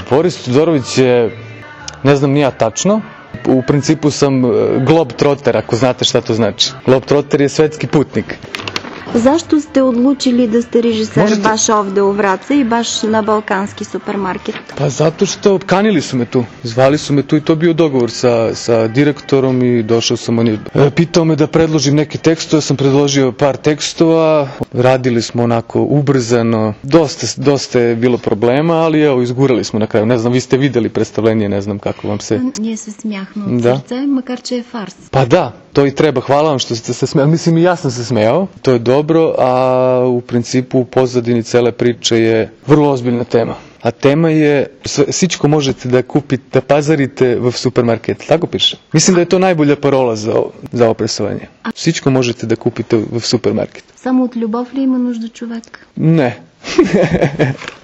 Boris Todorović je, ne znam ni ja tačno, u principu sam globetrotter, ako znate šta to znači. Globetrotter je svetski putnik. Zašto ste odlučili da ste režiser baš ovde u Vraca i baš na balkanski supermarket? Pa zato što kanili su me tu. Zvali su me tu i to bio dogovor sa direktorom i došao sam, on je pitao me da predložim neke tekstove, sam predložio par tekstova, radili smo onako ubrzano, dosta je bilo problema, ali evo, izgurali smo na kraju. Ne znam, vi ste videli predstavljenje, ne znam kako vam se... Ние се смяхме от сърце, макар че е фарс. Pa da, to i treba. Hvala vam što ste se smijali. Mislim, i ja sam se smijao. To je dobro, a u principu u pozadini cele priče je vrlo ozbiljna tema. A tema je, всичко možete da kupite, da pazarite v supermarket. Tako piše. Mislim da je to najbolja parola za ovo predstavljanje. Всичко možete da kupite v supermarket. Само от любов ли има нужда човек? Ne.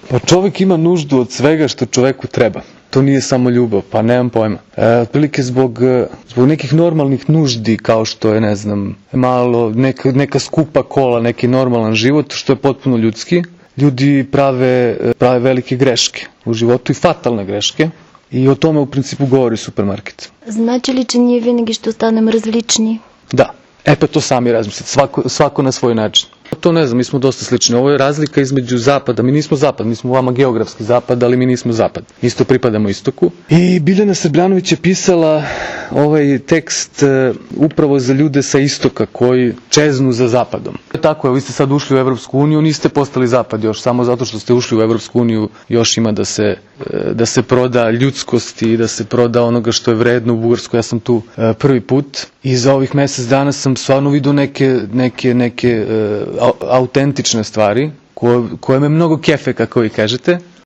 Pa čovjek ima nuždu od svega što čoveku treba. To nije samo ljubav, pa nemam pojma. Otprilike zbog nekih normalnih nuždi, kao što je, ne znam, malo, neka skupa kola, neki normalan život, što je potpuno ljudski, ljudi prave velike greške u životu i fatalne greške. I o tome u principu govori supermarket. Значи ли, че ние винаги ще останем различни? Da. Pa to sami razmislite, svako na svoj način. To ne znam, mi smo dosta slični. Ovo je razlika između zapada. Mi nismo zapad, mi smo vama geografski zapad, ali mi nismo zapad. Isto pripadamo istoku. I Biljana Srbljanović je pisala ovaj tekst upravo za ljude sa istoka koji čeznu za zapadom. Tako je, vi ste sad ušli u Evropsku uniju, niste postali zapad još, samo zato što ste ušli u Evropsku uniju još ima da se proda ljudskost i da se proda onoga što je vredno u Bugarskoj. Ja sam tu prvi put i za ovih mjesec dana sam stvarno vidio neke autentične stvari koje me mnogo kefe, kako vi kažete.